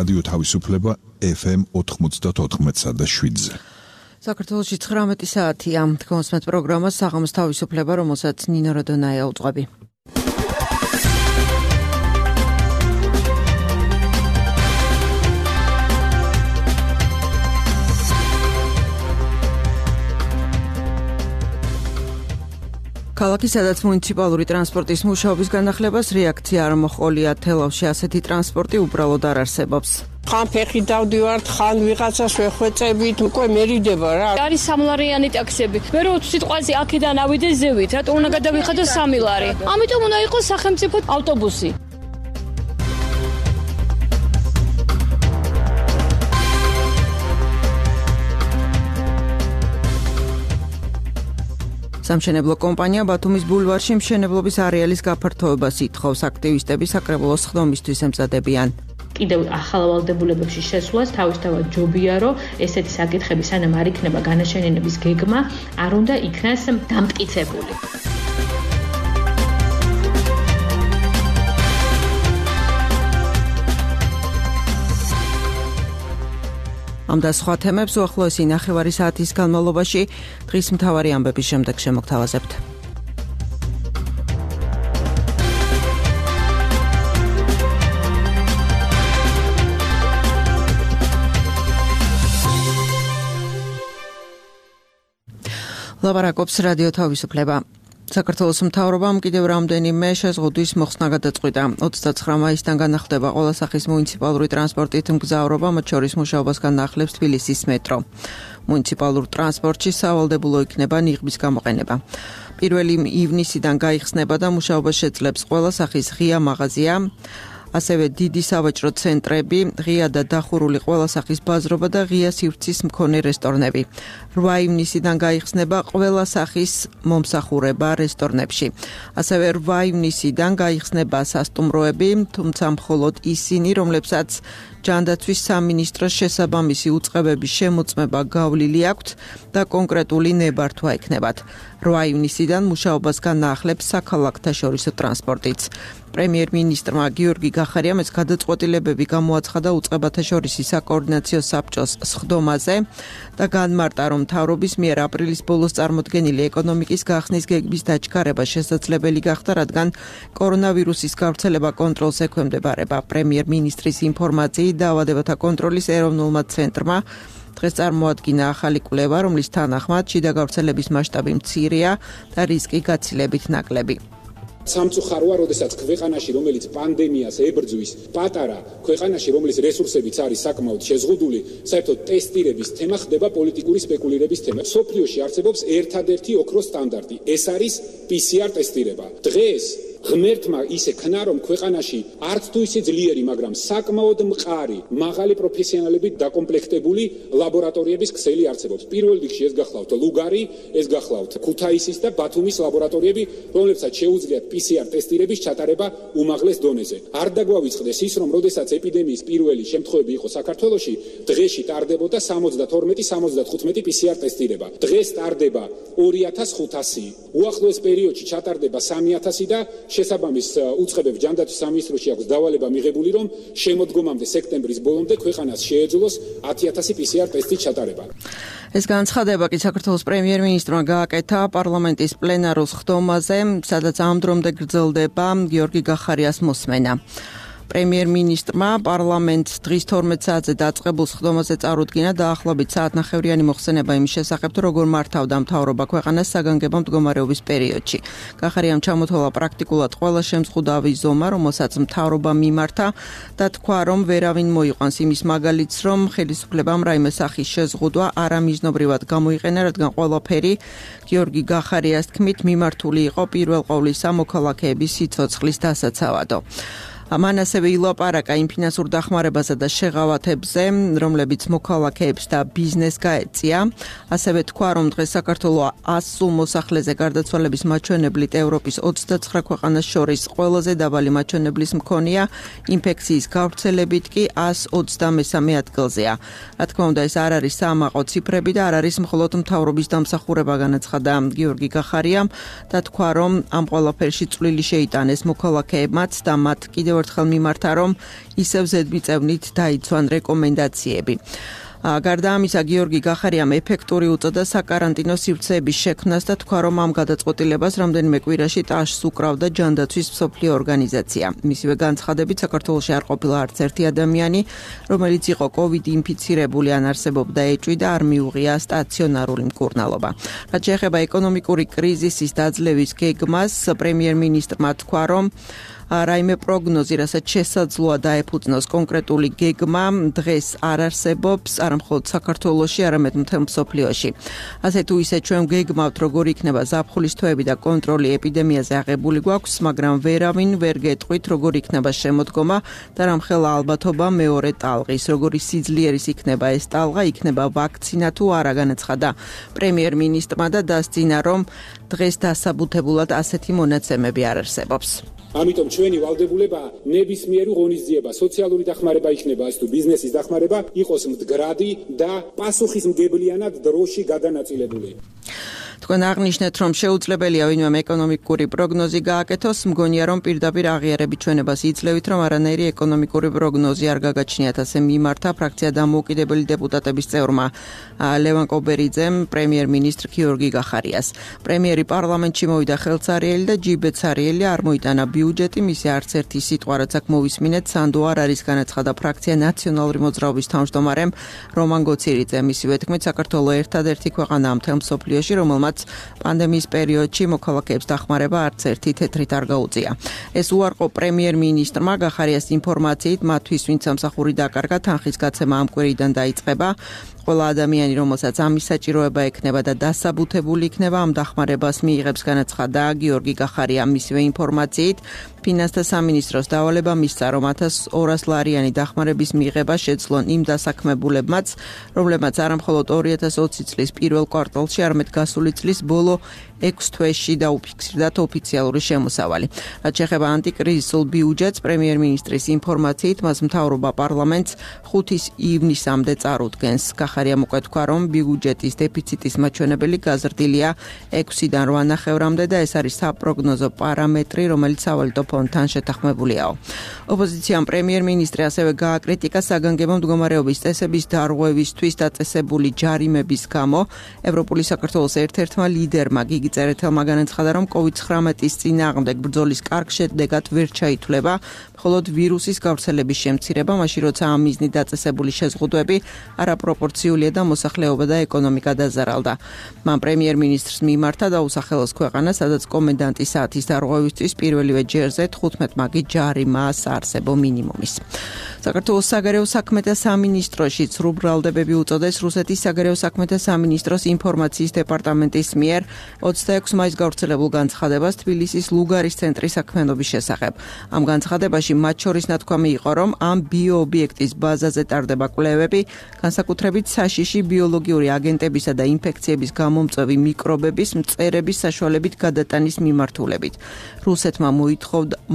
რადიო თავისუფლება FM 94.7-ზე. საქართველოში 19 საათია. თქვენს პროგრამა საღამოს თავისუფლება, რომელსაც ნინო როდონაია უძღვები. ქალაქი, სადაც მუნიციპალური ტრანსპორტის მუშაობის განახლებას რეაქცია არ მოჰყოლია. თელავში ასეთი ტრანსპორტი უბრალოდ არ არსებობს. ხან ფეხი დავდივართ, ხან ვიღაცას ვეხვეწებით, უკვე მერიდება რა. არის სამლარიანი ტაქსები. მე რო სიტყვაზე აქედან ავიდე ზევით, რატო უნდა გადავიხადო 3 ლარი? ამიტომ უნდა იყოს სახელმწიფო ავტობუსი. სამშენებლო კომპანია ბათუმის ბულვარში მშენებლობის არეალის გაფართოებას ითხოვს. აქტივისტები საკრებულოს ხდომისთვის ემზადებიან. კიდევ ახალ ვალდებულებებში შესვლას თავისთავად ჯობია, რომ ესეთი საკითხები სანამ არ იქნება განაშენიანების გეგმა, არ უნდა იქნას დამტკიცებული. ამ და სხვა თემებს უახლოესი ნახევარი საათის განმავლობაში დღის მთავარი ამბების შემდეგ შემოგთავაზებთ. ლაპარაკობს რადიო თავისუფლება. საქართველოს მთავრობამ კიდევ რამდენიმე შეზღუდვის მოხსნა გადაწყვიტა. 29 მაისიდან განახლდება ყველა სახის მუნიციპალური ტრანსპორტით მგზავრობა, მათ შორის მუშაობას განახლებს თბილისის მეტრო. მუნიციპალურ ტრანსპორტში სავალდებულო იქნება ნიღბის გამოყენება. 1 ივნისიდან გაიხსნება და მუშაობას შეძლებს ყველა სახის ღია მაღაზია, ასევე დიდი სავაჭრო ცენტრები, ღია და დახურული ყველა სახის ბაზრობა და ღია სივრცის მქონე რესტორნები. 8 ივნისიდან გაიხსნება ყველა სახის მომსახურება რესტორნებში. ასევე 8 ივნისიდან გაიხსნება სასტუმროები, თუმცა მხოლოდ ისინი, რომლებსაც ჯანდაცვის სამინისტროს შესაბამისი უწყებების შემოწმება გავლილი აქვთ და კონკრეტული ნებართვა ექნებათ. 8 ივნისიდან მუშაობას განაახლებს საქალაქთაშორისო ტრანსპორტიც. პრემიერ-მინისტრმა გიორგი გახარიამ ეს გადაწყვეტილებები გამოაცხადა უწყებათაშორისი საკოორდინაციო საბჭოს სხდომაზე და განმარტა, რომ მთავრობის მიერ აპრილის ბოლოს წარმოდგენილი ეკონომიკის გახსნის გეგმის დაჩქარება შესაძლებელი გახდა, რადგან კორონავირუსის გავრცელება კონტროლს ექვემდებარება. პრემიერ-მინისტრის ინფორმაციით დაავადებათა კონტროლის ეროვნულმა ცენტრმა დღეს წარმოადგინა ახალი კვლევა, რომლის თანახმად შიდა გავრცელების მასშტაბი მცირეა და რისკი გაცილებით ნაკლები. სამწუხაროა, როდესაც ქვეყანაში, რომელიც პანდემიას ებრძვის, პატარა ქვეყანაში, რომლის რესურსებიც არის საკმაოდ შეზღუდული, საერთოდ ტესტირების თემა ხდება პოლიტიკური სპეკულირების თემა. სოფლიოში არსებობს ერთადერთი ოქროს სტანდარტი, ეს არის PCR ტესტირება. დღეს ღმერთმა ისე ქნა, რომ ქვეყანაში არც თუ ისე ძლიერი, მაგრამ საკმაოდ მყარი, მაღალი პროფესიონალებით დაკომპლექტებული ლაბორატორიების ქსელი არსებობს. პირველ რიგში ეს გახლავთ ლუგარი, ეს გახლავთ ქუთაისის და ბათუმის ლაბორატორიები, რომლებსაც შეუძლიათ PCR ტესტირების ჩატარება უმაღლეს დონეზე. არ დაგვავიწყდეს ის, რომ როდესაც ეპიდემიის პირველი შემთხვევები იყო საქართველოში, დღეში ტარდებოდა 72-75 PCR ტესტირება. დღეს ტარდება 2500, უახლოეს პერიოდში ჩატარდება 3000 და შესაბამის უწყებებს ჯანდაცვის სამინისტროში აქვს დავალება მიღებული, რომ შემოდგომამდე სექტემბრის ბოლომდე ქვეყანას შეეძლოს 10000 PCR ტესტის ჩატარება. ეს განცხადება კი საქართველოს პრემიერ-მინისტრმა გააკეთა პარლამენტის პლენარულ ხდომაზე, სადაც ამ დრომდე გრძელდება გიორგი გახარიას მოსმენა. პრემიერ-მინისტრმა პარლამენტს დღის 12 საათზე დაწყებულ ხდომაზე წარუდგინა დაახლოებით საათნახევრიანი მოხსენება იმის შესახებ, თუ როგორ მართავდა მთავრობა ქვეყანას საგანგებო მდგომარეობის პერიოდში. გახარიამ ჩამოთვალა პრაქტიკულად ყველა შემზღუდავი ზომა, რომელსაც მთავრობა მიმართა და თქვა, რომ ვერავინ მოიყვანს იმის მაგალითს, რომ ხელისუფლებამ რაიმე სახის შეზღუდვა არამიზნობრივად გამოიყენა, რადგან ყველაფერი გიორგი გახარიას თქმით მიმართული იყო პირველ ყოვლისა მოქალაქეების სიცოცხლის დასაცავად. მან ასევე ილაპარაკა იმ ფინანსურ დახმარებასა და შეღავათებზე, რომლებიც მოქალაქეებს და ბიზნესს გაეწია. ასევე თქვა, რომ დღეს საქართველოს 100 სულ მოსახლეზე გარდაცვალების მაჩვენებლით ევროპის 29 ქვეყანას შორის ყველაზე დაბალი მაჩვენებლის მქონეა, ინფექციის გავრცელებით კი 123 ადგილზეა. რა თქმა უნდა, ეს არ არის საამაყო ციფრები და არ არის მხოლოდ მთავრობის დამსახურება, განაცხადა გიორგი გახარიამ და თქვა, რომ ამ ყველაფერში წვლილი შეიტანეს მოქალაქეებმაც და მათ კიდევ ერთხელ მიმართა, რომ ისევ ზედმიწევნით დაიცვან რეკომენდაციები. გარდა ამისა, გიორგი გახარიამ ეფექტური უწოდა საკარანტინო სივრცეების შექმნას და თქვა, რომ ამ გადაწყვეტილებას რამდენიმე კვირაში ტაშს უკრავდა ჯანდაცვის მსოფლიო ორგანიზაცია. მისივე განცხადებით, საქართველოში არ ყოფილა არც ერთი ადამიანი, რომელიც იყო COVID ინფიცირებული ან არსებობდა ეჭვი და არ მიუღია სტაციონარული მკურნალობა. რაც შეეხება ეკონომიკური კრიზისის დაძლევის გეგმას, პრემიერ-მინისტრმა თქვა, რომ რაიმე პროგნოზი, რასაც შესაძლოა დაეფუძნოს კონკრეტული გეგმა, დღეს არ არსებობს, არა მხოლოდ საქართველოში, არამედ მთელ მსოფლიოში. ასე თუ ისე ჩვენ გეგმავთ, როგორ იქნება ზაფხულის თვეები და კონტროლი ეპიდემიაზე აღებული გვაქვს, მაგრამ ვერავინ ვერ გეტყვით, როგორ იქნება შემოდგომა და რამხელა ალბათობა მეორე ტალღის, როგორი სიძლიერის იქნება ეს ტალღა, იქნება ვაქცინა თუ არა, განაცხადა პრემიერ-მინისტრმა და დასძინა, რომ დღეს დასაბუთებულად ასეთი მონაცემები არ არსებობს. ამიტომ ჩვენი ვალდებულება ნებისმიერი ღონისძიება, სოციალური დახმარება იქნება, ეს თუ ბიზნესის დახმარება, იყოს მდგრადი და პასუხისმგებლიანად დროში გადანაწილებული. თქვენ აღნიშნეთ, რომ შეუძლებელია ვინმემ ეკონომიკური პროგნოზი გააკეთოს, მგონია, რომ პირდაპირ აღიარებით ჩვენებას იძლევით, რომ არანაირი ეკონომიკური პროგნოზი არ გაგაჩნიათ, ასე მიმართა ფრაქცია დამოუკიდებელი დეპუტატების წევრმა ლევან კობერიძემ პრემიერ-მინისტრ გიორგი გახარიას. პრემიერი პარლამენტში მოვიდა ხელცარიელი და ჯიბეცარიელი, არ მოიტანა ბიუჯეტი, მისი არც ერთი სიტყვა რაც აქ მოვისმინეთ, სანდო არ არის, განაცხადა ფრაქცია ნაციონალური მოძრაობის თავმჯდომარემ რომან გოცირიძემ. მისივე თქმით, საქართველო ერთადერთი ქვეყანაა მთელ მსოფლიოში, რომელმაც პანდემიის პერიოდში მოქალაქეებს დახმარება არც ერთი თეთრით არ გაუწია. ეს უარყო პრემიერ-მინისტრმა გახარიას ინფორმაციით, მათთვის, ვინც სამსახური დაკარგა, თანხის გაცემა ამ კვირიდან დაიწყება. ყველა ადამიანი, რომელსაც ამის საჭიროება ექნება და დასაბუთებული იქნება, ამ დახმარებას მიიღებს, განაცხადა გიორგი გახარია. მისივე ინფორმაციით, ფინანსთა სამინისტროს დავალება მისცა, რომ 1200 ლარიანი დახმარების მიღება შეძლონ იმ დასაქმებულებმაც, რომლებმაც არამხოლოდ 2020 წლის პირველ კვარტალში, არამედ გასული წლის ბოლო 6 თვეში დაუფიქსირდათ ოფიციალური შემოსავალი. რაც შეეხება ანტიკრიზისულ ბიუჯეტს, პრემიერ-მინისტრის ინფორმაციით, მას მთავრობა პარლამენტს 5 ივნისამდე წარუდგენს. გახარია მოკვეთქვა, რომ ბიუჯეტის დეფიციტის მაჩვენებელი გაზრდილია 6-დან 8.5-მდე და ეს არის საპროგნოზო პარამეტრი, რომელიც სავალუტო ფონდთან შეთანხმებულიაო. ოპოზიციამ პრემიერ-მინისტრი ასევე გააკრიტიკა საგანგებო მდგომარეობის წესების დარღვევისთვის დაწესებული ჯარიმების გამო. ევროპული საქართველოს ერთ-ერთმა ლიდერმა გიგი წერეთელმა განაცხადა, რომ COVID-19-ის წინააღმდეგ ბრძოლის კარგ შედეგად ვერ ჩაითვლება, მხოლოდ ვირუსის გავრცელების შემცირება, მაშინ როცა ამ მიზნით დაწესებული შეზღუდვები არაპროპორციულია და მოსახლეობა და ეკონომიკა დაზარალდა. მან პრემიერ-მინისტრს მიმართა და უსახელოს ქვეყანა, სადაც კომენდანტის საათის დარღვევისთვის პირველივე ჯერზე 15 მაგი ჯარიმაა საარსებო მინიმუმის. საქართველოს საგარეო საქმეთა სამინისტროშიც რუბრალდებები უწოდეს რუსეთის საგარეო საქმეთა სამინისტროს ინფორმაციის დეპარტამენტის მიერ 26 მაისს გავრცელებულ განცხადებას თბილისის ლუგარის ცენტრის საქმიანობის შესახებ. ამ განცხადებაში მათ შორის ნათქვამი იყო, რომ ამ ბიოობიექტის ბაზაზე ტარდება კვლევები, განსაკუთრებით საშიში ბიოლოგიური აგენტებისა და ინფექციების გამომწვევი მიკრობების მწერების საშუალებით გადატანის მიმართულებით. რუსეთმა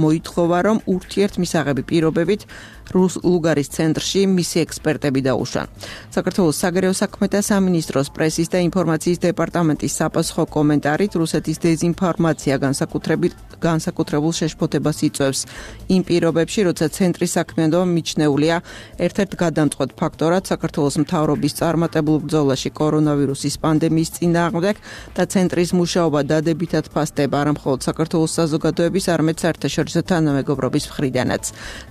მოითხოვა, რომ ურთიერთმისაღები პირობებით ლუგარის ცენტრში მისი ექსპერტები დაუშვან. საქართველოს საგარეო საქმეთა სამინისტროს პრესის და ინფორმაციის დეპარტამენტის საპასუხო კომენტარით რუსეთის დეზინფორმაცია განსაკუთრებულ შეშფოთებას იწვევს იმ პირობებში, როცა ცენტრის საქმიანობა მიჩნეულია ერთ-ერთ გადამწყვეტ ფაქტორად საქართველოს მთავრობის წარმატებულ ბრძოლაში კორონავირუსის პანდემიის წინააღმდეგ და ცენტრის მუშაობა დადებითად ფასდება არა მხოლოდ საქართველოს საზოგადოების, არამედ საერთაშორისო თანამეგობრობის მხრიდანაც.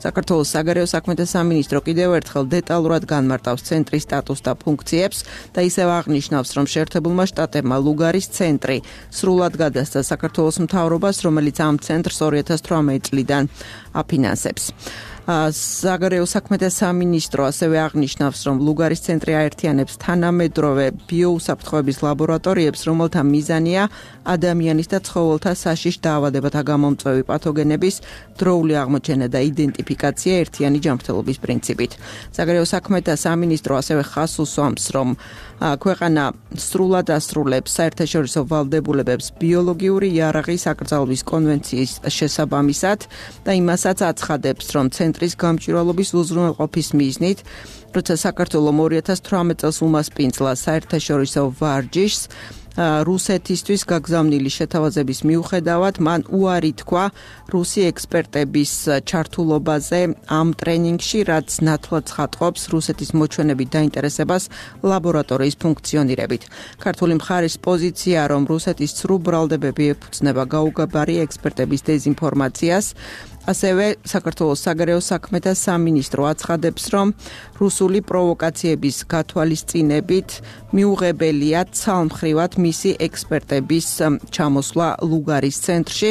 საქართველოს საგარეო საქმეთა სამინისტრო კიდევ ერთხელ დეტალურად განმარტავს ცენტრის სტატუსს და ფუნქციებს და ისევ აღნიშნავს, რომ შეერთებულმა შტატებმა ლუგარის ცენტრი სრულად გადასცა საქართველოს მთავრობას, რომელიც ამ ცენტრს 2018 წლიდან აფინანსებს. საგარეო საქმეთა სამინისტრო ასევე აღნიშნავს, რომ ლუგარის ცენტრი აერთიანებს თანამედროვე ბიოუსაფრთხოების ლაბორატორიებს, რომელთა მიზანია ადამიანის და ცხოველთა საშიშ დაავადებათა გამომწვევი პათოგენების დროული აღმოჩენა და იდენტიფიკაცია ერთიანი ჯანმრთელობის პრინციპით. საგარეო საქმეთა სამინისტრო ასევე ხაზს უსვამს, რომ ქვეყანა სრულად ასრულებს საერთაშორისო ვალდებულებებს ბიოლოგიური იარაღის აკრძალვის კონვენციის შესაბამისად და იმასაც აცხადებს, რომ ცენტრის გამჭვირვალობის უზრუნველყოფის მიზნით, როცა საქართველოს 2018 წელს უმასპინძლა საერთაშორისო ვარჯიშს, რუსეთისთვის გაგზავნილი შეთავაზების მიუხედავად მან უარი თქვა რუსი ექსპერტების ჩართულობაზე ამ ტრენინგში, რაც ნათლად ცხადყოფს რუსეთის მოჩვენებით დაინტერესებას ლაბორატორიის ფუნქციონირებით. ქართული მხარის პოზიცია, რომ რუსეთის ცრუ ბრალდებები ეფუძნება გაუგებარი ექსპერტების დეზინფორმაციას, ასევე საქართველოს საგარეო საქმეთა სამინისტრო აცხადებს, რომ რუსული პროვოკაციების გათვალისწინებით მიუღებელია ცალმხრივად მისი ექსპერტების ჩამოსვლა ლუგარის ცენტრში,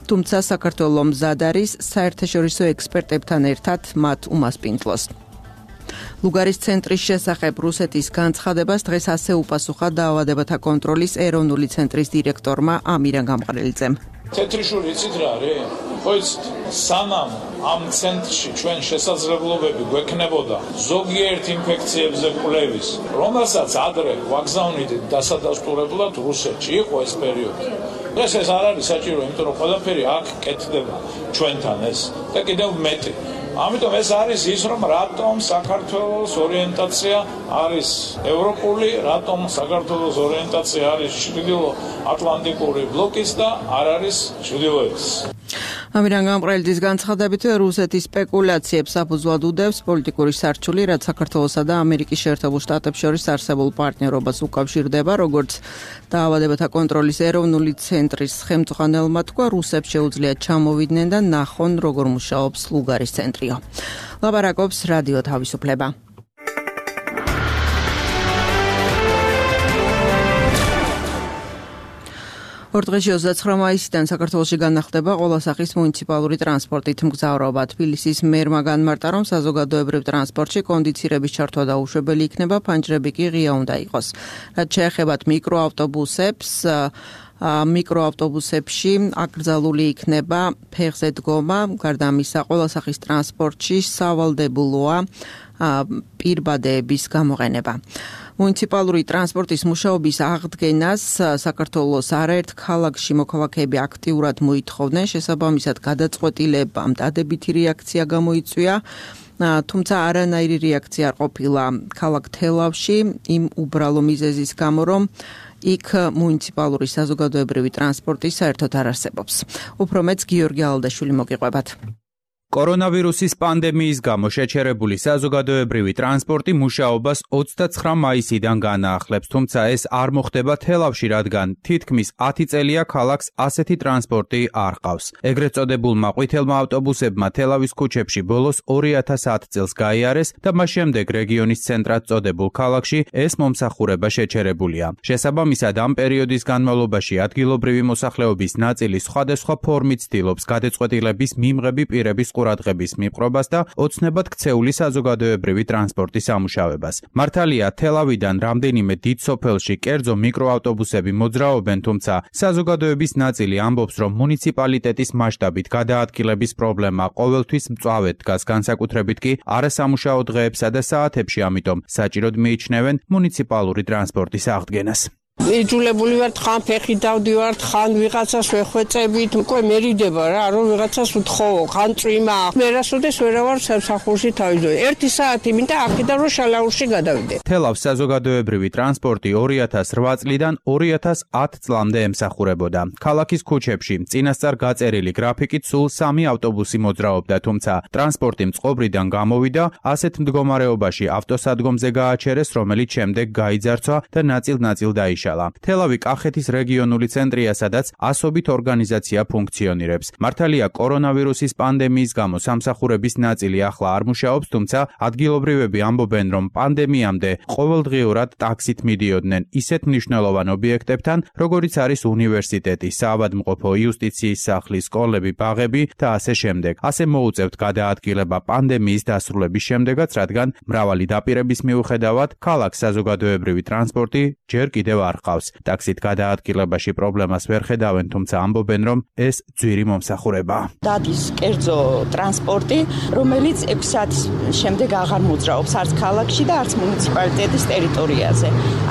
თუმცა საქართველო მზად არის საერთაშორისო ექსპერტებთან ერთად მათ უმასპინძლოს. ლუგარის ცენტრის შესახებ რუსეთის განცხადებას დღეს ასე უპასუხა დაავადებათა კონტროლის ეროვნული ცენტრის დირექტორმა ამირან გამყრელიძემ. თეთრიშური იცით რა არის? ხო იცით, სანამ ამ ცენტრში ჩვენ შესაძლებლობები გვექნებოდა ზოგიერთ ინფექციებზე კვლევის, რომელსაც ადრე ვაგზავნით დასადასტურებლად რუსეთში, იყო ეს პერიოდი. დღეს ეს არ არის საჭირო, იმიტომ რომ ყველაფერი აქ კეთდება ჩვენთან ეს და კიდევ მეტი. ამიტომ ეს არის ის, რომ რატომ საქართველოს ორიენტაცია არის ევროპული, რატომ საქართველოს ორიენტაცია არის ჩრდილო-ატლანტიკური ბლოკის და არ არის ჩრდილოეთის. ამირან გამყრელიძის განცხადებით, რუსეთის სპეკულაციებს საფუძვლად უდევს პოლიტიკური სარჩული, რაც საქართველოსა და ამერიკის შეერთებულ შტატებს შორის არსებულ პარტნიორობას უკავშირდება, როგორც დაავადებათა კონტროლის ეროვნული ცენტრის ხელმძღვანელმა თქვა, რუსებს შეუძლიათ ჩამოვიდნენ და ნახონ, როგორ მუშაობს ლუგარის ცენტრიო. ლაპარაკობს რადიო თავისუფლება. ორ დღეში 29 მაისიდან საქართველოში განახლდება ყველა სახის მუნიციპალური ტრანსპორტით მგზავრობა. თბილისის მერმა განმარტა, რომ საზოგადოებრივ ტრანსპორტში კონდიცირების ჩართვა დაუშვებელი იქნება, ფანჯრები კი ღია უნდა იყოს. რაც შეეხებათ მიკროავტობუსებს, მიკროავტობუსებში აკრძალული იქნება ფეხზე დგომა, გარდა ამისა ყველა სახის ტრანსპორტში სავალდებულოა პირბადეების გამოყენება. მუნიციპალური ტრანსპორტის მუშაობის აღდგენას საქართველოს არაერთ ქალაქში მოქალაქეები აქტიურად მოითხოვდნენ, შესაბამისად გადაწყვეტილებამ დადებითი რეაქცია გამოიწვია, თუმცა არანაირი რეაქცია არ ყოფილა ქალაქ თელავში იმ უბრალო მიზეზის გამო, რომ იქ მუნიციპალური საზოგადოებრივი ტრანსპორტი საერთოდ არ არსებობს. უფრო მეც გიორგი ალდაშვილი მოგიყვებათ. კორონავირუსის პანდემიის გამო შეჩერებული საზოგადოებრივი ტრანსპორტი მუშაობას 29 მაისიდან განაახლებს, თუმცა ეს არ მოხდება თელავში, რადგან თითქმის 10 წელია ქალაქს ასეთი ტრანსპორტი არ ყავს. ეგრეთ წოდებულმა ყვითელმა ავტობუსებმა თელავის ქუჩებში ბოლოს 2010 წელს გაიარეს და მას შემდეგ რეგიონის ცენტრად წოდებულ ქალაქში ეს მომსახურება შეჩერებულია. შესაბამისად, ამ პერიოდის განმავლობაში ადგილობრივი მოსახლეობის ნაწილი სხვადასხვა ფორმით ცდილობს გადაწყვეტილების მიმღები პირების ყურადღების მიპყრობას და ოცნებად ქცეული საზოგადოებრივი ტრანსპორტის ამუშავებას. მართალია, თელავიდან რამდენიმე დიდ სოფელში კერძო მიკროავტობუსები მოძრაობენ, თუმცა საზოგადოების ნაწილი ამბობს, რომ მუნიციპალიტეტის მასშტაბით გადაადგილების პრობლემა ყოველთვის მწვავედ დგას, განსაკუთრებით კი არასამუშაო დღეებსა და საათებში, ამიტომ საჭიროდ მიიჩნევენ მუნიციპალური ტრანსპორტის აღდგენას. იძულებული ვართ ხან ფეხი დავდივართ, ხან ვიღაცას ვეხვეწებით, უკვე მერიდება რა, რომ ვიღაცას ვთხოვო, ხან წვიმა. მე რასოდეს ვერავარ სამსახურში თავიდანვე. 1 საათი მინდა აქედან რომ შალაურში გადავიდე. თელავს საზოგადოებრივი ტრანსპორტი 2008 წლიდან 2010 წლამდე ემსახურებოდა. ქალაქის ქუჩებში წინასწარ გაწერილი გრაფიკით სულ 3 ავტობუსი მოძრაობდა, თუმცა ტრანსპორტი მწყობრიდან გამოვიდა, ასეთ მდგომარეობაში ავტოსადგომზე გააჩერეს, რომელიც შემდეგ გაიძარცვა და ნაწილ-ნაწილ დაიშალა. თელავი კახეთის რეგიონული ცენტრია, სადაც ასობით ორგანიზაცია ფუნქციონირებს. მართალია, კორონავირუსის პანდემიის გამო სამსახურების ნაწილი ახლა არ მუშაობს, თუმცა ადგილობრივები ამბობენ, რომ პანდემიამდე ყოველდღიურად ტაქსით მიდიოდნენ ისეთ მნიშვნელოვან ობიექტებთან, როგორიც არის უნივერსიტეტი, საავადმყოფო, იუსტიციის სახლი, სკოლები, ბაღები და ასე შემდეგ. ასე მოუწევთ გადაადგილება პანდემიის დასრულების შემდეგაც, რადგან მრავალი დაპირების მიუხედავად ქალაქ საზოგადოებრივი ტრანსპორტი ჯერ კიდევ არ ყავს. ტაქსით გადაადგილებაში პრობლემას ვერ ხედავენ, თუმცა ამბობენ, რომ ეს ძვირი მომსახურებაა. დადის კერძო ტრანსპორტი, რომელიც 6 საათის შემდეგ აღარ მოძრაობს არც ქალაქში და არც მუნიციპალიტეტის ტერიტორიაზე.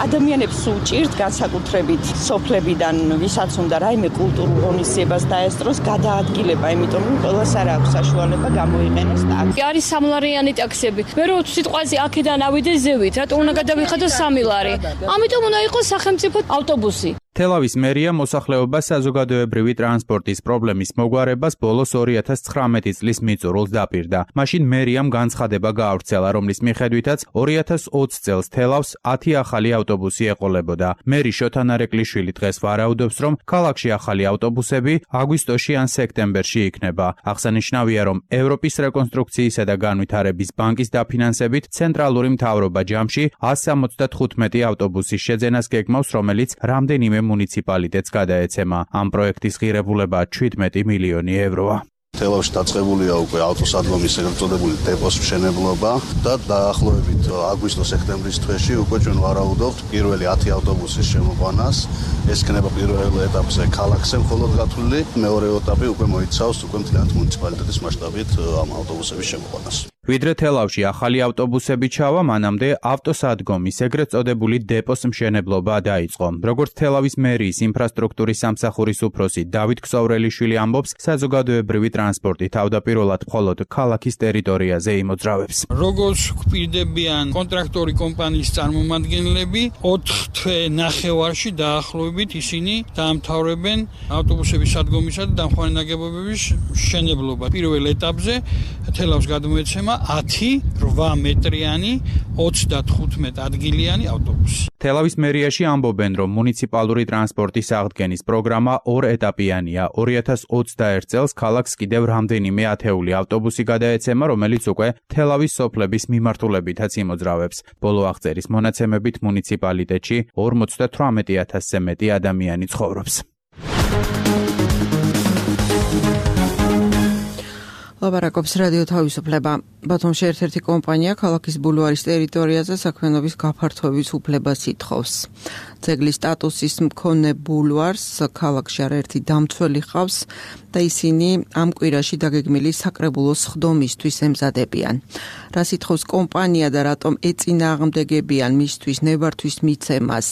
ადამიანებს უჭირთ განსაკუთრებით სოფლებიდან, ვისაც უნდა რაიმე კულტურულ ღონისძიებას დაესწროს, გადაადგილება, იმიტომ რომ ყველას არ აქვს საშუალება გამოიყენოს ტაქსი. არის სამლარიანი ტაქსები. მე რო სიტყვაზე აქედან ავიდე ზევით, რატო უნდა გადავიხადო 3 ლარი. ამიტომ უნდა იყოს სახელმწიფო ავტობუსი. თელავის მერია მოსახლეობას საზოგადოებრივი ტრანსპორტის პრობლემის მოგვარებას ბოლოს 2019 წლის მიწურულს დაპირდა. მაშინ მერიამ განცხადება გაავრცელა, რომლის მიხედვითაც 2020 წელს თელავს 10 ახალი ავტობუსი ეყოლებოდა. მერი შოთა ნარეკვლიშვილი დღეს ვარაუდობს, რომ ქალაქში ახალი ავტობუსები აგვისტოში ან სექტემბერში იქნება. აღსანიშნავია, რომ ევროპის რეკონსტრუქციისა და განვითარების ბანკის დაფინანსებით ცენტრალური მთავრობა ჯამში 175 ავტობუსის შეძენას გეგმავს, რომელიც რამდენიმე მუნიციპალიტეტს გადაეცემა. ამ პროექტის ღირებულება 17 მილიონი ევროა. თელავში დაწყებულია უკვე ავტოსადგომის ეგრეთ წოდებული დეპოს მშენებლობა და დაახლოებით აგვისტო-სექტემბრის თვეში უკვე ჩვენ ვარაუდობთ პირველი 10 ავტობუსის შემოყვანას. ეს იქნება პირველ ეტაპზე ქალაქზე მხოლოდ გათვლილი, მეორე ეტაპი უკვე მოიცავს უკვე მთლიანად მუნიციპალიტეტის მასშტაბით ამ ავტობუსების შემოყვანას. ვიდრე თელავში ახალი ავტობუსები ჩავა, მანამდე ავტოსადგომის ეგრეთ წოდებული დეპოს მშენებლობა დაიწყო. როგორც თელავის მერიის ინფრასტრუქტურის სამსახურის უფროსი დავით ქსოვრელიშვილი ამბობს, საზოგადოებრივი ტრანსპორტი თავდაპირველად მხოლოდ ქალაქის ტერიტორიაზე იმოძრავებს. როგორც გვპირდებიან კონტრაქტორი კომპანიის წარმომადგენლები, 4 თვე ნახევარში დაახლოებით ისინი დაამთავრებენ ავტობუსების სადგომისა და დამხმარე ნაგებობების მშენებლობა. პირველ ეტაპზე თელავს გადმოეცემა 10-8 მეტრიანი 35 ადგილიანი ავტობუსი. თელავის მერიაში ამბობენ, რომ მუნიციპალური ტრანსპორტის აღდგენის პროგრამა 2 ეტაპიანია. 2021 წელს ქალაქს კიდევ რამდენიმე ათეული ავტობუსი გადაეცემა, რომელიც უკვე თელავის სოფლების მიმართულებითაც იმოძრავებს. ბოლო აღწერის მონაცემებით მუნიციპალიტეტში 58,000-ზე მეტი ადამიანი ცხოვრობს. ლაპარაკობს რადიო თავისუფლება. ბათუმში ერთ-ერთი კომპანია ქალაქის ბულვარის ტერიტორიაზე საქმიანობის გაფართოების უფლებას ითხოვს. ძეგლის სტატუსის მქონე ბულვარს ქალაქში არაერთი დამცველი ჰყავს და ისინი ამ კვირაში დაგეგმილი საკრებულოს სხდომისთვის ემზადებიან. რას ითხოვს კომპანია და რატომ ეწინააღმდეგებიან მისთვის ნებართვის მიცემას?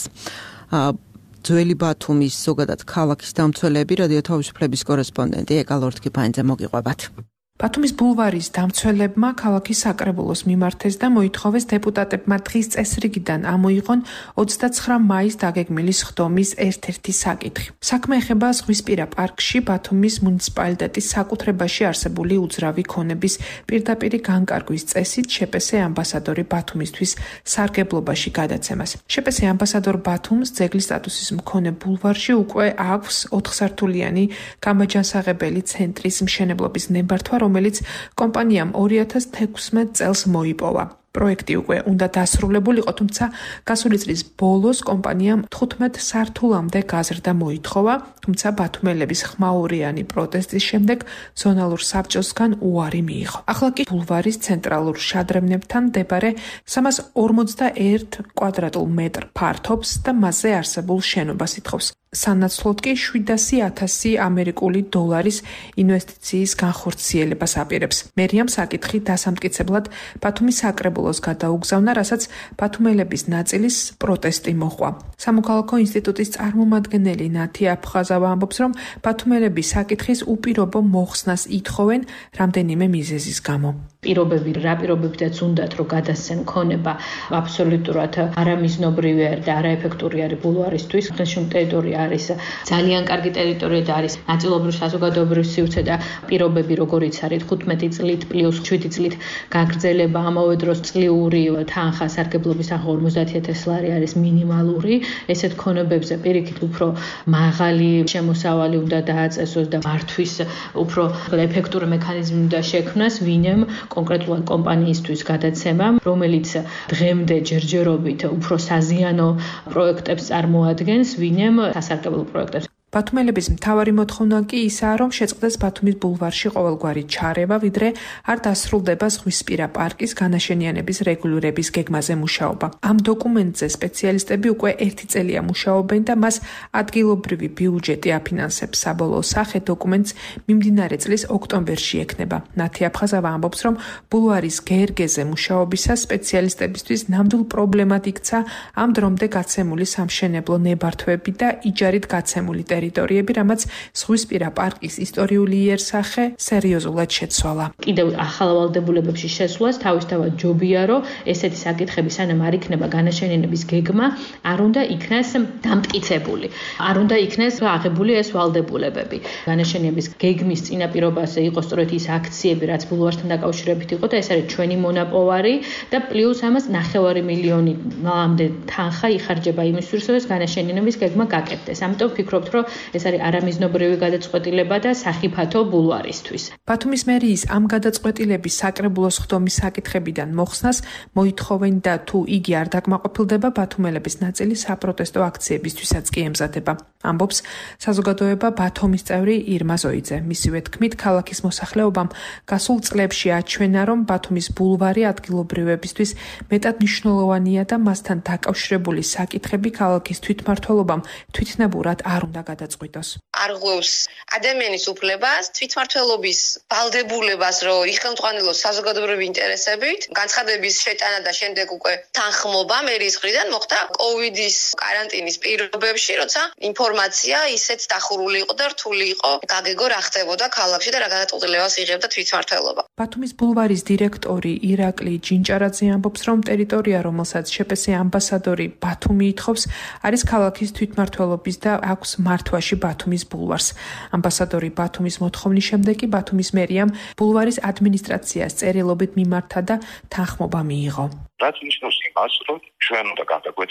ძველი ბათუმის ზოგადად ქალაქის დამცველები რადიო თავისუფლების კორესპონდენტი ეკა ლორთქიფანიძე მოგიყვებათ. ბათუმის ბულვარის დამცველებმა ქალაქის საკრებულოს მიმართეს და მოითხოვეს დეპუტატებმა დღის წესრიგიდან ამოიღონ 29 მაისს დაგეგმილი სხდომის ერთ-ერთი საკითხი. საქმე ეხება ზღვისპირა პარკში ბათუმის მუნიციპალიტეტის საკუთრებაში არსებული უძრავი ქონების პირდაპირი განკარგვის წესით შეპესე ამბასადორი ბათუმისთვის სარგებლობაში გადაცემას. შეპესე ამბასადორ ბათუმს ძეგლის სტატუსის მქონე ბულვარში უკვე აქვს 4 სართულიანი გამაჯანსაღებელი ცენტრის მშენებლობის ნებართვა, რომელიც კომპანიამ 2016 წელს მოიპოვა. პროექტი უკვე უნდა დასრულებულიყო, თუმცა გასული წლის ბოლოს კომპანიამ 15 სართულამდე გაზრდა მოითხოვა, თუმცა ბათუმელების ხმაურიანი პროტესტის შემდეგ ზონალურ საბჭოსგან უარი მიიღო. ახლა კი ბულვარის ცენტრალურ შადრევნებთან მდებარე 341 კვადრატულ მეტრ ფართობს და მასზე არსებულ შენობას ითხოვს. სანაცვლოდ კი 700,000 ამერიკული დოლარის ინვესტიციის განხორციელებას აპირებს. მერიამ საკითხი დასამტკიცებლად ბათუმის საკრებულოს გადაუგზავნა, რასაც ბათუმელების ნაწილის პროტესტი მოჰყვა. სამოქალაქო ინსტიტუტის წარმომადგენელი ნათი აფხაზავა ამბობს, რომ ბათუმელები საკითხის უპირობო მოხსნას ითხოვენ რამდენიმე მიზეზის გამო. პირობები რა პირობებითაც უნდათ რომ გადასცენ ქონება აბსოლუტურად არამიზნობრივი და არაეფექტური არის ბულვარისთვის. ხელშემ ტერიტორია არის ძალიან კარგი ტერიტორია და არის ნაწილობრივ საზოგადოებრივ სივრცე და პირობები როგორიც არის 15 წლით პლუს 7 წლით გაგრძელება, ამავე დროს წლიური თანხა სარგებლობის თანხა 50,000 ლარი არის მინიმალური. ესეთ ქონებებზე პირიქით უფრო მაღალი შემოსავალი უნდა დააწესოს და მართვის უფრო ეფექტური მექანიზმი უნდა შექმნას, ვინემ კონკრეტულად კომპანიისთვის გადაცემა, რომელიც დღემდე ჯერჯერობით უფრო საზიანო პროექტებს წარმოადგენს, ვინემ სასარგებლო პროექტებს. ბათუმელების მთავარი მოთხოვნა კი ისაა, რომ შეწყდეს ბათუმის ბულვარში ყოველგვარი ჩარევა, ვიდრე არ დასრულდება ზღვისპირა პარკის განაშენიანების რეგულირების გეგმაზე მუშაობა. ამ დოკუმენტზე სპეციალისტები უკვე 1 წელია მუშაობენ და მას ადგილობრივი ბიუჯეტი აფინანსებს. საბოლოო სახე დოკუმენტს მიმდინარე წლის ოქტომბერში ექნება. ნათი აფხაზავა ამბობს, რომ ბულვარის გერგეზე მუშაობისას სპეციალისტებისთვის ნამდვილ პრობლემად იქცა ამ დრომდე გაცემული სამშენებლო ნებართვები და იჯარით გაცემული ტერიტორიები, რამაც ზღვისპირა პარკის ისტორიული იერსახე სერიოზულად შეცვალა. კიდევ ახალ ვალდებულებებში შესვლას თავისთავად ჯობია, რომ ესეთი საკითხები სანამ არ იქნება განაშენიანების გეგმა, არ უნდა იქნეს დამტკიცებული. არ უნდა იქნეს აღებული ეს ვალდებულებები. განაშენიანების გეგმის წინაპირობაზე იყო სწორედ ის აქციები, რაც ბულვართან დაკავშირებით იყო და ეს არის ჩვენი მონაპოვარი და პლუს ამას 9 მილიონამდე თანხა იხარჯება იმისთვის, რომ ეს განაშენიანების გეგმა გაკეთდეს. ამიტომ ვფიქრობთ, რომ ეს არის არამიზნობრივი გადაწყვეტილება და სახიფათო ბულვარისთვის. ბათუმის მერიის ამ გადაწყვეტილების საკრებულოს ხდომის საკითხებიდან მოხსნას მოითხოვენ და თუ იგი არ დაკმაყოფილდება, ბათუმელების ნაწილი საპროტესტო აქციებისთვისაც კი ემზადება. ამბობს საზოგადოება ბათუმის წევრი ირმა ზოიძე. მისივე თქმით, ქალაქის მოსახლეობამ გასულ წლებში აჩვენა, რომ ბათუმის ბულვარი ადგილობრივებისთვის მეტად მნიშვნელოვანია და მასთან დაკავშირებული საკითხები ქალაქის თვითმმართველობამ თვითნებურად არ უნდა გადაწყვიტოს. არღვევს ადამიანის უფლებას, თვითმმართველობის ვალდებულებას, რომ იხელმძღვანელოს საზოგადოებრივი ინტერესებით, განცხადების შეტანა და შემდეგ უკვე თანხმობა მერის მხრიდან მოხდა კოვიდის კარანტინის პირობებში, როცა ინფორმაცია ისეთ დახურული იყო და რთული იყო გაგეგო რა ხდებოდა ქალაქში და რა გადაწყვეტილებას იღებდა თვითმმართველობა. ბათუმის ბულვარის დირექტორი ირაკლი ჯინჭარაძე ამბობს, რომ ტერიტორია, რომელსაც შპს ამბასადორი ბათუმი ითხოვს, არის ქალაქის თვითმმართველობის და აქვს მართვაში ბათუმის ბულვარს. ამბასადორი ბათუმის მოთხოვნის შემდეგ კი ბათუმის მერიამ ბულვარის ადმინისტრაციას წერილობით მიმართა და თანხმობა მიიღო. რაც ნიშნავს იმას, რომ ჩვენ უნდა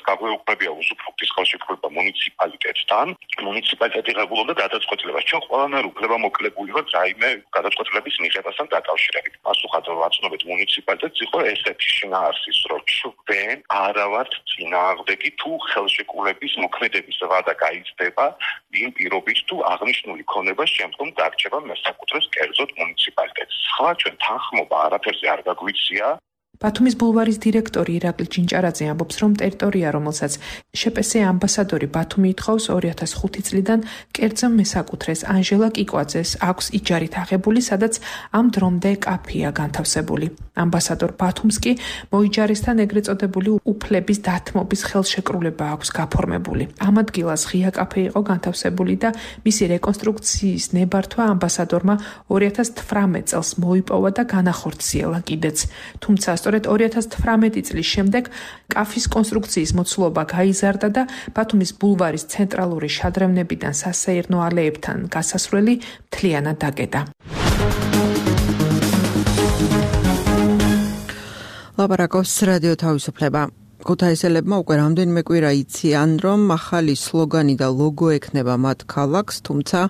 გაგვეუქმებია უსუფრუქტის ხელშეკრულება მუნიციპალიტეტთან. მუნიციპალიტეტი ღებულობდა გადაწყვეტილებას. ჩვენ ყველანაირ უფლებამოკლებული ვართ რაიმე გადაწყვეტილების მიღებასთან დაკავშირებით. პასუხად ვაცნობთ მუნიციპალიტეტს იყო ესეთი შინაარსის, რომ ჩვენ არა ვართ წინააღმდეგი თუ ხელშეკრულების მოქმედების ვადა გაიზრდება იმ პირობით თუ აღნიშნული ქონება შემდგომ დარჩება მესაკუთრებს კერძოდ მუნიციპალიტეტს. სხვა ჩვენ თანხმობა არაფერზე არ გაგვიცია. ბათუმის ბულვარის დირექტორი ირაკლი ჯინჭარაძე ამბობს, რომ ტერიტორია, რომელსაც შპს ამბასადორი ბათუმი ითხოვს 2005 წლიდან კერძო მესაკუთრეს ანჟელა კიკვაძეს აქვს იჯარით აღებული, სადაც ამ დრომდე კაფეა განთავსებული. ამბასადორ ბათუმს კი მოიჯარისთან ეგრეთ წოდებული უფლების დათმობის ხელშეკრულება აქვს გაფორმებული. ამ ადგილას ღია კაფე იყო განთავსებული და მისი რეკონსტრუქციის ნებართვა ამბასადორმა 2018 წელს მოიპოვა და განახორციელა კიდეც. თუმცა სწორედ 2018 წლის შემდეგ კაფის კონსტრუქციის მოცულობა გაიზარდა და ბათუმის ბულვარის ცენტრალური შადრევნებიდან სასეირნო ალეებთან გასასვლელი მთლიანად დაკეტა. ლაპარაკობს რადიო თავისუფლება. ქუთაისელებმა უკვე რამდენიმე კვირა იციან, რომ ახალი სლოგანი და ლოგო ექნება მათ ქალაქს, თუმცა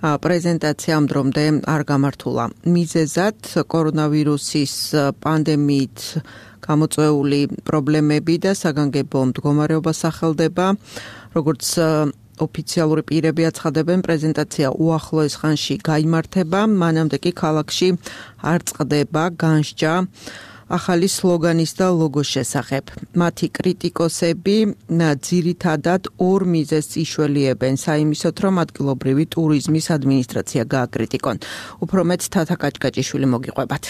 პრეზენტაცია ამ დრომდე არ გამართულა. მიზეზად კორონავირუსის პანდემიით გამოწვეული პრობლემები და საგანგებო მდგომარეობა სახელდება, როგორც ოფიციალური პირები აცხადებენ, პრეზენტაცია უახლოეს ხანში გაიმართება, მანამდე კი ქალაქში არ წყდება განსჯა ახალი სლოგანის და ლოგოს შესახებ. მათი კრიტიკოსები ძირითადად ორ მიზეზს იშველიებენ საიმისოთ, რომ ადგილობრივი ტურიზმის ადმინისტრაცია გააკრიტიკონ. უფრო მეტ თათა კაჭკაჭიშვილი მოგიყვებათ.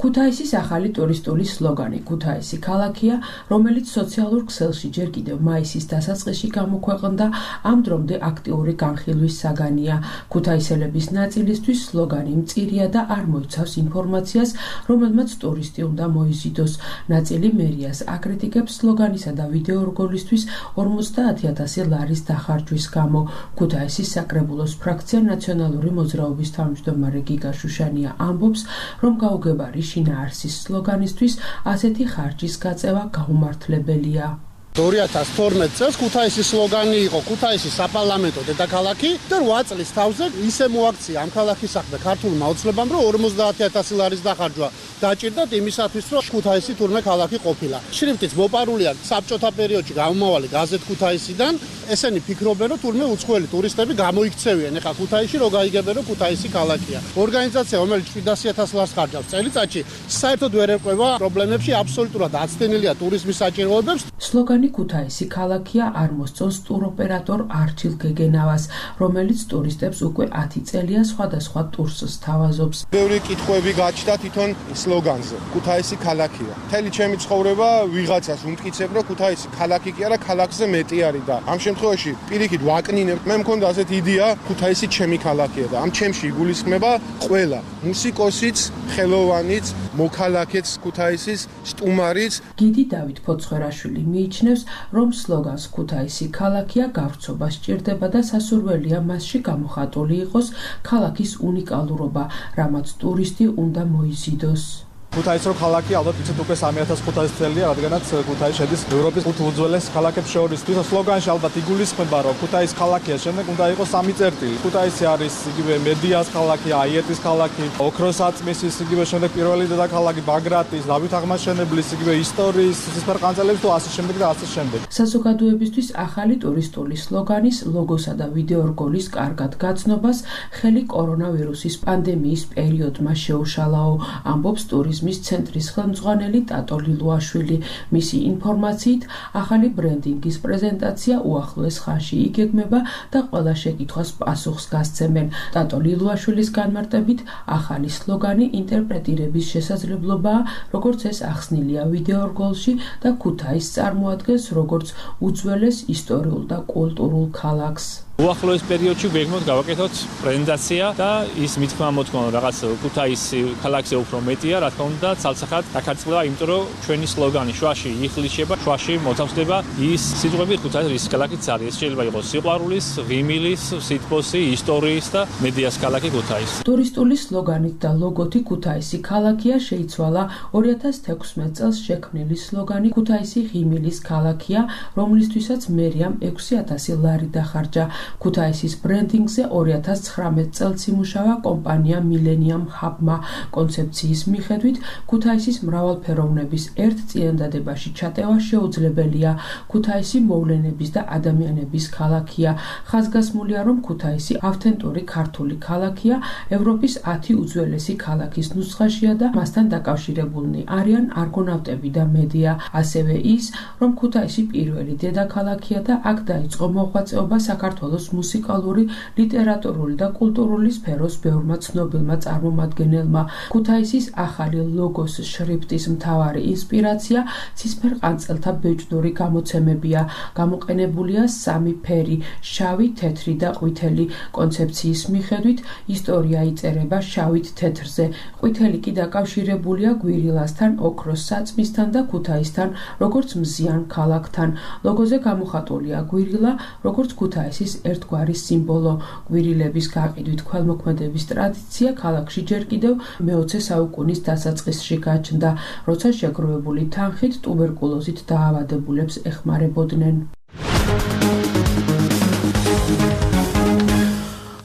ქუთაისის ახალი ტურისტული სლოგანი ქუთაისი ქალაქია, რომელიც სოციალურ ქსელში ჯერ კიდევ მაისის დასაწყისში გამოქვეყნდა, ამ დრომდე აქტიური განხილვის საგანია. ქუთაისელების ნაწილისთვის სლოგანი მწირია და არ მოიცავს ინფორმაციას, რომელმაც ტურისტი უნდა მოიზიდოს. ნაწილი მერიას აკრიტიკებს სლოგანისა და ვიდეო რგოლისთვის 50,000 ლარის დახარჯვის გამო. ქუთაისის საკრებულოს ფრაქცია ნაციონალური მოძრაობის თავმჯდომარე გიგა შუშანია ამბობს, რომ გაუგებარი შინაარსის სლოგანისთვის ასეთი ხარჯის გაწევა გაუმართლებელია. 2012 წელს ქუთაისის სლოგანი იყო ქუთაისის საპარლამენტო დედაქალაქი და 8 წლის თავზე ისე მოაქცია ამ ქალაქის საქმე ქართულმა ოცნებამ, რომ 50,000 ლარის დახარჯვა დაჭირდათ იმისათვის, რომ ქუთაისი თურმე ქალაქი ყოფილა. შრიფტიც მოპარულია საბჭოთა პერიოდში გამომავალი გაზეთ ქუთაისიდან. ესენი ფიქრობენ, რომ თურმე უცხოელი ტურისტები გამოიქცევიან ეხა ქუთაისში, რომ გაიგებენ, რომ ქუთაისი ქალაქია. ორგანიზაცია, რომელიც 700,000 ლარს ხარჯავს წელიწადში, საერთოდ ვერ ერკვევა პრობლემებში, აბსოლუტურად აცდენილია ტურიზმის საჭიროებებს. სლოგანი სლოგანი ქუთაისი ქალაქია არ მოსწონს ტუროპერატორ არჩილ გეგენავას, რომელიც ტურისტებს უკვე 10 წელია სხვადასხვა ტურს სთავაზობს. ბევრი კითხვები გაჩნდა თვითონ სლოგანზე. ქუთაისი ქალაქია. მთელი ჩემი ცხოვრება ვიღაცას უმტკიცებ, რომ ქუთაისი ქალაქი კი არა, ქალაქზე მეტი არის და ამ შემთხვევაში პირიქით ვაკნინებ. მე მქონდა ასეთი იდეა, ქუთაისი ჩემი ქალაქია და ამ ჩემში იგულისხმება ყველა მუსიკოსიც, ხელოვანიც, მოქალაქეც ქუთაისის, სტუმარიც. გიდი დავით ფოცხვერაშვილი მიიჩნევს, რომ სლოგანს ქუთაისი ქალაქია გავრცობა სჭირდება და სასურველია მასში გამოხატული იყოს ქალაქის უნიკალურობა, რამაც ტურისტი უნდა მოიზიდოს. ქუთაისი რო ქალაქი, ალბათ იცით უკვე 3500 წელია, რადგანაც ქუთაისი შედის ევროპის 5 უძველეს ქალაქებს შორის. თვითონ სლოგანში ალბათ იგულისხმება, რომ ქუთაისი ქალაქია, შემდეგ უნდა იყოს 3 წერტილი. ქუთაისი არის იგივე მედიას ქალაქი, აიეტის ქალაქი, ოქროსაწმისის, იგივე შემდეგ პირველი დედაქალაქი ბაგრატის, დავით აღმაშენებლის, იგივე ისტორიის, ცისფერყანწელების თუ ასე შემდეგ და ასე შემდეგ. საზოგადოებისთვის ახალი ტურისტული სლოგანის, ლოგოსა და ვიდეორგოლის კარგად გაცნობას ხელი კორონავირუსის პანდემიის პერიოდმა შეუშალაო, ამბობს ტურიზმის ცენტრის ხელმძღვანელი ტატო ლილუაშვილი. მისი ინფორმაციით, ახალი ბრენდინგის პრეზენტაცია უახლოეს ხანში იგეგმება და ყველა შეკითხვას პასუხს გასცემენ. ტატო ლილუაშვილის განმარტებით, ახალი სლოგანი ინტერპრეტირების შესაძლებლობაა, როგორც ეს ახსნილია ვიდეორგოლში და ქუთაისს წარმოადგენს როგორც უძველეს ისტორიულ და კულტურულ ქალაქს. უახლოეს პერიოდში ვეგმოთ გავაკეთოთ პრეზენტაცია და ის მithქმა მოთქმა რაღაც ქუთაისი ქალაქზე უფრო მეტია, რა თქმა უნდა, ცალსახად დაქარწყლება, იმიტომ რომ ჩვენი სლოგანი შუაში იხლიშება, შუაში მოთავსდება ის სიტყვები ქუთაისი რის ქალაქიც არის. შეიძლება იყოს სიყვარულის, ღიმილის, სითბოსი, ისტორიის და მედიას ქალაქი ქუთაისი. ტურისტული სლოგანით და ლოგოთი ქუთაისი ქალაქია შეიცვალა 2016 წელს შექმნილი სლოგანი ქუთაისი ღიმილის ქალაქია, რომლისთვისაც მერიამ 6000 ლარი დახარჯა. ქუთაისის ბრენდინგზე 2019 წელს იმუშავა კომპანია Millennium Hub-მა. კონცეფციის მიხედვით, ქუთაისის მრავალფეროვნების ერთ წინადადებაში ჩატევა შეუძლებელია. ქუთაისი მოვლენების და ადამიანების ქალაქია. ხაზგასმულია, რომ ქუთაისი ავთენტური ქართული ქალაქია, ევროპის 10 უძველესი ქალაქის ნუსხაშია და მასთან დაკავშირებულნი არიან არგონავტები და მედია. ასევე ის, რომ ქუთაისი პირველი დედაქალაქია და აქ დაიწყო მოღვაწეობა საქართველოს მუსიკალური, ლიტერატურული და კულტურული სფეროს ბევრმა ცნობილმა წარმომადგენელმა. ქუთაისის ახალი ლოგოს შრიფტის მთავარი ინსპირაცია ცისფერყანწელთა ბეჭდური გამოცემებია. გამოყენებულია 3 ფერი: შავი, თეთრი და ყვითელი. კონცეფციის მიხედვით, ისტორია იწერება შავით თეთრზე. ყვითელი კი დაკავშირებულია გვირილასთან, ოქროს საწმისთან და ქუთაისთან, როგორც მზიან ქალაქთან. ლოგოზე გამოხატულია გვირილა, როგორც ქუთაისის ერთგვარი სიმბოლო. გვირილების გაყიდვით ქველმოქმედების ტრადიცია ქალაქში ჯერ კიდევ მე-20 საუკუნის დასაწყისში გაჩნდა, როცა შეგროვებული თანხით ტუბერკულოზით დაავადებულებს ეხმარებოდნენ.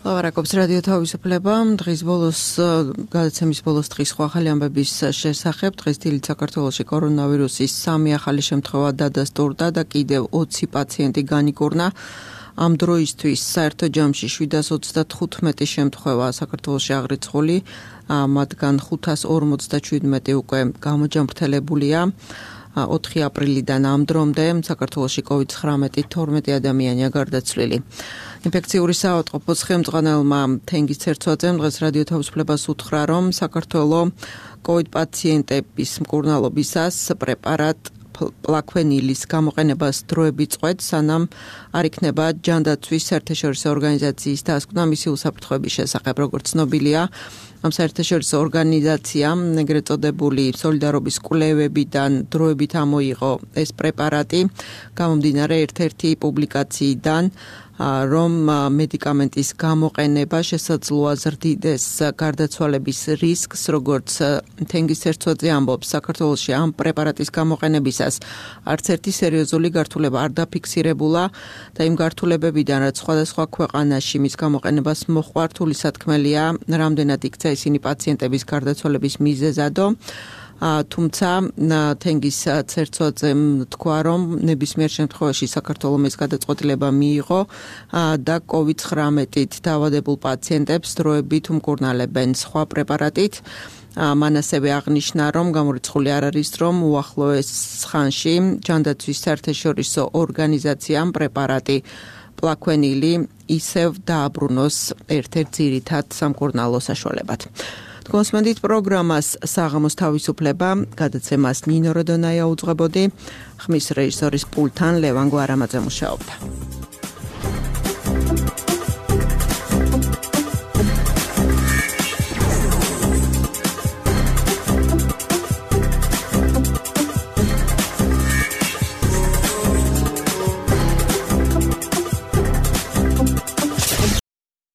ლავარაკობს რადიო თავისუფლება. დღის ბოლოს გადაცემის ბოლოს დღის სხვა ახალი ამბების შესახებ. დღეს დილით საქართველოში კორონავირუსის 3 ახალი შემთხვევა დადასტურდა და კიდევ 20 პაციენტი განიკურნა. ამ დროისთვის საერთო ჯამში 735 შემთხვევა საქართველოში აღრიცხული, მათგან 557 უკვე გამოჯამრთელებულია. 4 აპრილიდან ამ დრომდე საქართველოში COVID-19 12 ადამიანია გარდაცვლილი. ინფექციური საავადმყოფოს ხელმძღვანელმა თენგიზ ცერცვაძემ დღეს რადიო თავისუფლებას უთხრა, რომ საქართველოს COVID პაციენტების მკურნალობისას პრეპარატ პლაქვენილის გამოყენებას დროებით წყვეტს, სანამ არ იქნება ჯანდაცვის საერთაშორისო ორგანიზაციის დასკვნა მისი უსაფრთხოების შესახებ. როგორც ცნობილია, ამ საერთაშორისო ორგანიზაციამ ეგრეთ წოდებული სოლიდარობის კვლევებიდან დროებით ამოიღო ეს პრეპარატი, გამომდინარე ერთ-ერთი პუბლიკაციიდან, რომ მედიკამენტის გამოყენება შესაძლოა ზრდიდეს გარდაცვალების რისკს, როგორც თენგიზ ცერცვაძე ამბობს, საქართველოში ამ პრეპარატის გამოყენებისას არც ერთი სერიოზული გართულება არ დაფიქსირებულა და იმ გართულებებიდან, რაც სხვადასხვა ქვეყანაში მის გამოყენებას მოჰყვა, რთული სათქმელია, რამდენად იქცა ისინი პაციენტების გარდაცვალების მიზეზადო. თუმცა თენგიზ ცერცვაძემ თქვა, რომ ნებისმიერ შემთხვევაში საქართველოს ეს გადაწყვეტილება მიიღო და COVID-19-ით დაავადებულ პაციენტებს დროებით უმკურნალებენ სხვა პრეპარატით. მან ასევე აღნიშნა, რომ გამორიცხული არ არის, რომ უახლოეს ხანში ჯანდაცვის საერთაშორისო ორგანიზაციამ პრეპარატი პლაკვენილი ისევ დააბრუნოს ერთ-ერთ ძირითად სამკურნალო საშუალებად. კონსმენდით პროგრამას საღამოს თავისუფლება გადაცემას ნინო როდონაია უძღვებოდი, ხმის რეჟისორის პულტთან ლევან გვარამაძე მუშაობდა.